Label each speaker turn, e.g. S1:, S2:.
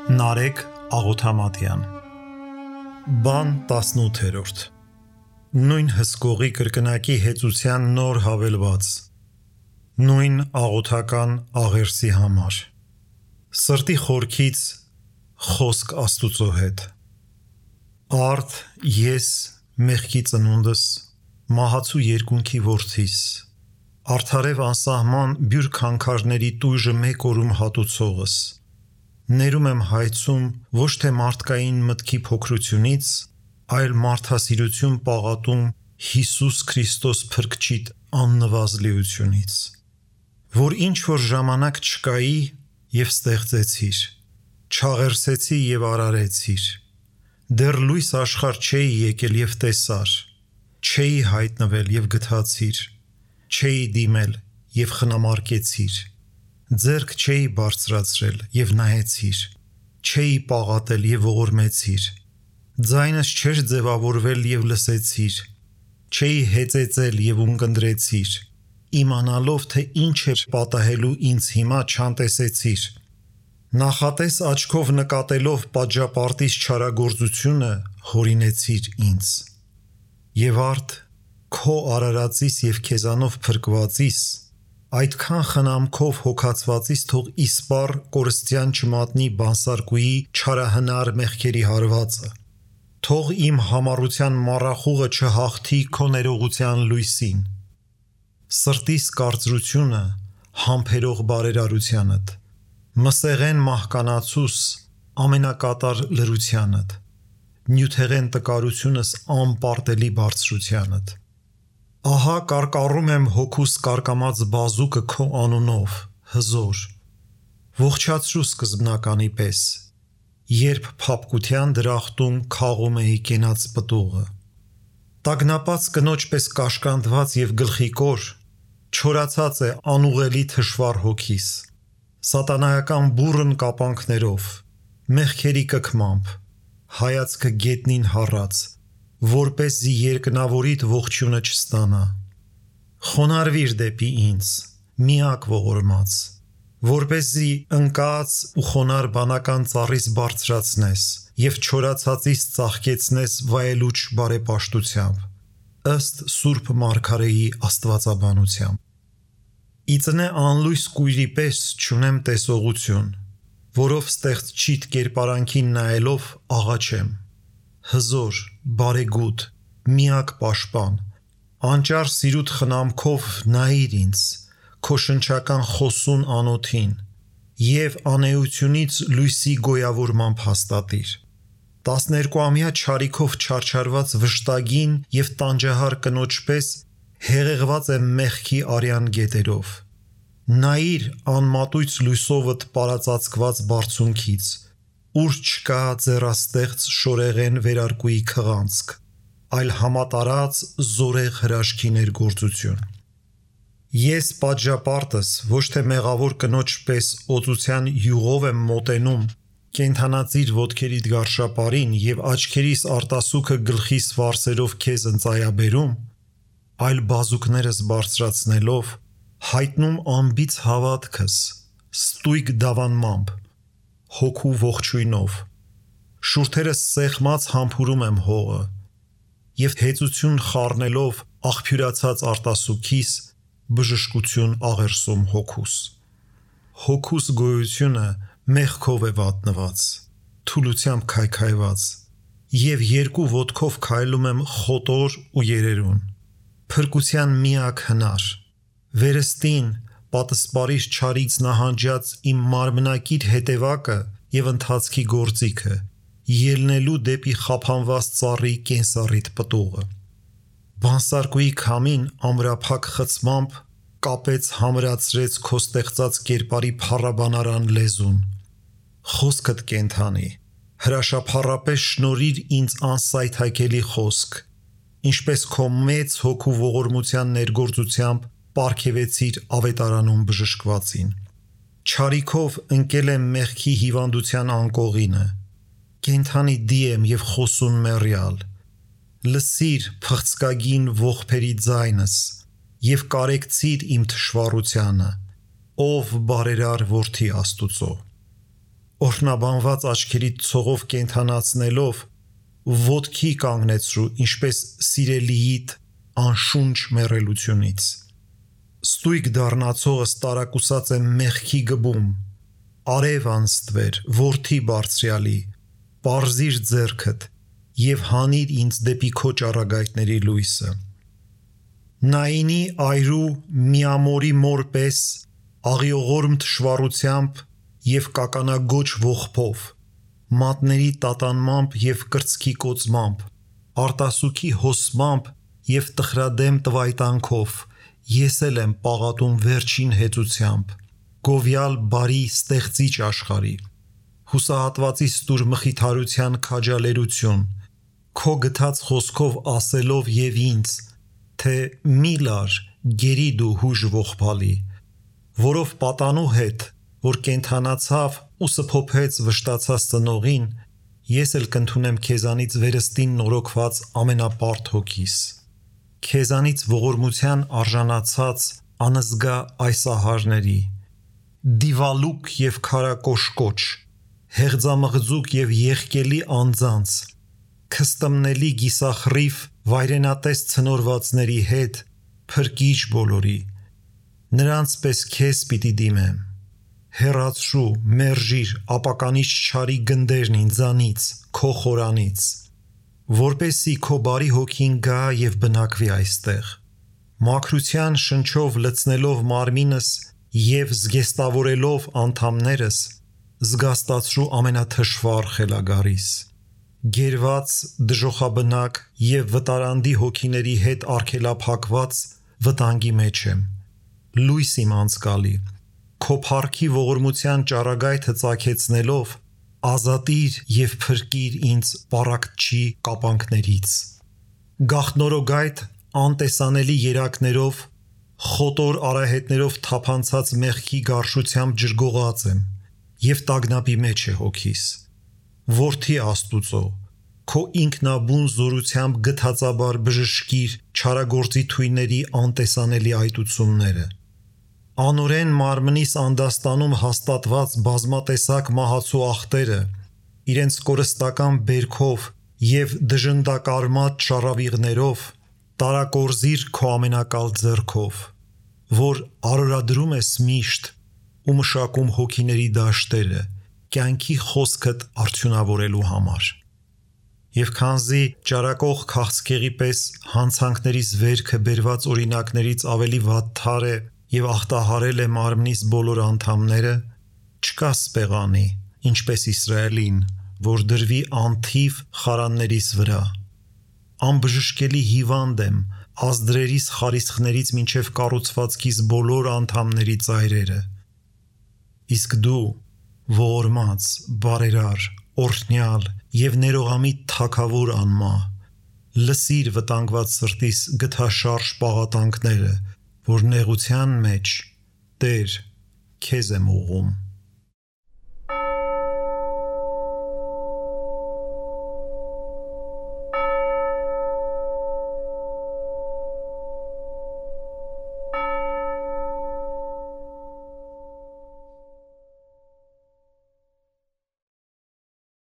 S1: Նարեկ Աղոթամատյան Բան 18-րդ Նույն հսկողի կրկնակի հեծության նոր հավելված Նույն աղոթական աղերսի համար Սրտի խորքից խոսք Աստուծո հետ Արդ ես մեղքի ծնունդս մահացու երկունքի որդիս Արդարև անսահման բյուր քանքարների տույժը մեկ օրում հատուցողս Ներում եմ հայցում ոչ թե մարդկային մտքի փոքրությունից, այլ մարդասիրություն պաղատում Հիսուս Քրիստոս Փրկչիդ աննվազլիությունից, որ ինչ-որ ժամանակ չկայի և ստեղծեցիր, չաղերսեցի և արարեցիր, դեռ լույս աշխարհ չէի եկել և տեսար, չէի հայտնվել և գթացիր, չէի դիմել և խնամարկեցիր, ձեռք չէի բարձրացրել և նայեցիր, չէի պաղատել և ողորմեցիր, ձայնս չէր ձևավորվել և լսեցիր, չէի հեծեծել և ունկնդրեցիր, իմանալով թե ինչ է պատահելու ինձ հիմա չանտեսեցիր, նախատես աչքով նկատելով պատժապարտից չարագործությունը հորինեցիր ինձ, և արդ քո արարածիս և քեզանով փրկվածիս այդքան խնամքով հոգացվածից թող իսպառ կորստյան չմատնի բանսարկուի չարահնար մեղքերի հարվածը, թող իմ համառության մառախուղը չհաղթի քո ներողության լույսին, սրտիս կարծրությունը համբերող բարերարությանդ, մսեղեն մահկանացուս ամենակատար լրությանդ, նյութեղեն տկարությունս անպարտելի բարձրությանդ, ահա կարկառում եմ հոգուս կարկամած բազուկը քո անունով, հզոր, ողջացրու սկզբնականի պես, երբ փափկության դրախտում քաղում էի կենաց պտուղը, տագնապած կնոջ պես կաշկանդված և գլխիկոր, չորացած է անուղելի թշվառ հոգիս, սատանայական բուռն կապանքներով, մեղքերի կքմամբ, հայացքը գետնին հառած, որպեսզի երկնավորիդ ողջույնը չստանա, խոնարհվիր դեպի ինձ, միակ ողորմած, որպեսզի ընկած ու խոնարհ բանական ծառիս բարձրացնես և չորացածից ծաղկեցնես վայելուչ բարեպաշտությամբ, ըստ Սուրբ Մարգարեի աստվածաբանությամբ, իծնե անլույս կույրի պես չունեմ տեսողություն, որով ստեղծչիդ կերպարանքին նայելով աղաչեմ, հզոր, բարեգութ, միակ պաշտպան, անճար սիրուտ խնամքով նայիր ինձ, քո շնչական խոսուն անոթին և անէությունից լույսի գոյավորմամբ հաստատիր, 12-ամյա չարիքով չարչարված վշտագին և տանջահար կնոջ պես հեղեղված եմ մեղքի արյան գետերով, նայիր անմատույց լույսովդ պարածածկված բարձունքից, ուր չկա ձեռաստեղծ շորեղեն վերարկուի քղանցք, այլ համատարած զորեղ հրաշքի ներգործություն, ես պատժապարտս ոչ թե մեղավոր կնոջ պես օծության յուղով եմ մոտենում, կենդանածիր ոտքերիդ գարշապարին և աչքերիս արտասուքը գլխիս վարսերով քեզ ընծայաբերում, այլ բազուկներս բարձրացնելով, հայտնում անբիծ հավատքս, ստույգ դավանմամբ, հոգու ողջույնով, շուրթերս սեղմած համբուրում եմ հողը, և հեծություն խառնելով աղբյուրացած արտասուքիս, բժշկություն աղերսում հոգուս, հոգուս գոյությունը մեղքով է վատնված, թուլությամբ քայքայված, և երկու ոտքով քայլում եմ խոտոր ու երերուն, փրկության միակ հնար, վերստին պատսպարիս չարից նահանջած իմ մարմնակիր հետևակը և ընթացքի գործիքը, ելնելու դեպի խափանված ծառի կենսառիթ պտուղը, բանսարկուի քամին ամրափակ խցմամբ կապեց համրացրեց քո ստեղծած կերպարի փառաբանարան լեզուն, խոսքդ կենդանի, հրաշափառապես շնորհիր ինձ անսայթաքելի խոսք, ինչպես քո մեծ հոգու ողորմության ներգործությամբ պարգևեցիր ավետարանում բժշկվածին, չարիքով ընկել եմ մեղքի հիվանդության անկողինը, կենդանի դի եմ և խոսուն մեռյալ, լսիր փղցկագին ողբերի ձայնս և կարեկցիր իմ թշվառությանը, ով բարերար որդի Աստուծո, օրհնաբանված աչքերիդ ցողով կենթանացնելով ոտքի կանգնեցրու, ինչպես սիրելիիդ անշունչ մեռելությունից։ Ստույգ դառնացողս տարակուսած եմ մեղքի գբում, արև անստվեր, որդի բարձրյալի, պարզիր ձեռքդ և հանիր ինձ դեպի քո ճառագայթների լույսը։ Նայինի այրու միամորի մոր պես, աղիողորմ թշվառությամբ և կականագոչ ողբով, մատների տատանմամբ և կրծքի կոծմամբ, արտասուքի հոսմամբ և տխրադեմ տվայտանքով, ես էլ եմ պաղատում վերջին հեծությամբ, գովյալ բարի ստեղծիչ աշխարհի, հուսահատվածի ստուր մխիթարության քաջալերություն, քո գթած խոսքով ասելով և ինձ, թե մի լար, գերի դու հուժ ողբալի, որով պատանու հետ, որ կենթանացավ ու սփոփեց վշտացած ծնողին, ես էլ կընդունեմ քեզանից վերստին նորոգված ամենապարդ հոգիս, քեզանից ողորմության արժանացած անզգա այս ահարների, դիվալուկ և քարակոշկոչ, հեղձամղձուկ և եղկելի անձանց, քստմնելի գիսախռիվ վայրենատես ցնորվածների հետ, փրկիչ բոլորի, նրանց պես քեզ պիտի դիմեմ, հեռացրու, մերժիր ապականիչ չարի գնդերն ինձանից, քո խորանից, որպեսզի քո բարի հոգին գա և բնակվի այստեղ, մաքրության շնչով լցնելով մարմինս և զգեստավորելով անդամներս, զգաստացրու ամենաթշվառ խելագարիս, գերված, դժոխաբնակ և վտարանդի հոգիների հետ արգելափակված վտանգի մեջ եմ, լույս իմ անցկալի, քո փառքի ողորմության ճառագայթը ծագեցնելով, ազատիր և փրկիր ինձ պառակտչի կապանքներից, գաղտնորոգայթ անտեսանելի երակներով, խոտոր արահետներով թափանցած մեղքի գարշությամբ ջրգողած եմ և տագնապի մեջ է հոգիս, որդի Աստուծո, քո ինքնաբուն զորությամբ գթածաբար բժշկիր չարագործի թույների անտեսանելի այտությունները, անօրեն մարմնիս անդաստանում հաստատված բազմատեսակ մահացու ախտերը, իրենց կորստական բերքով և դժնդակարմատ շառավիղներով, տարակորզիր քո ամենակալ ձեռքով, որ արորադրում ես միշտ ու մշակում հոգիների դաշտերը, կյանքի խոսքդ արդյունավորելու համար, և քանզի ճարակող քաղցկեղի պես հանցանքներիս վերքը բերված օրինակներից ավելի վատթար է և ախտահարել է մարմնիս բոլոր անդամները, չկա սպեղանի, ինչպես Իսրայելին, որ դրվի անթիվ խարաններիս վրա, անբժշկելի հիվանդ եմ ազդրերիս խարիսխներից մինչև կառուցվածքիս բոլոր անդամների ծայրերը, իսկ դու ողորմած, բարերար, օրհնյալ և ներողամիտ թագավոր անմահ, լսիր վտանգված սրտիս գթաշարժ պաղատանքները, որ նեղության մեջ Տեր քեզ եմ ուղղում։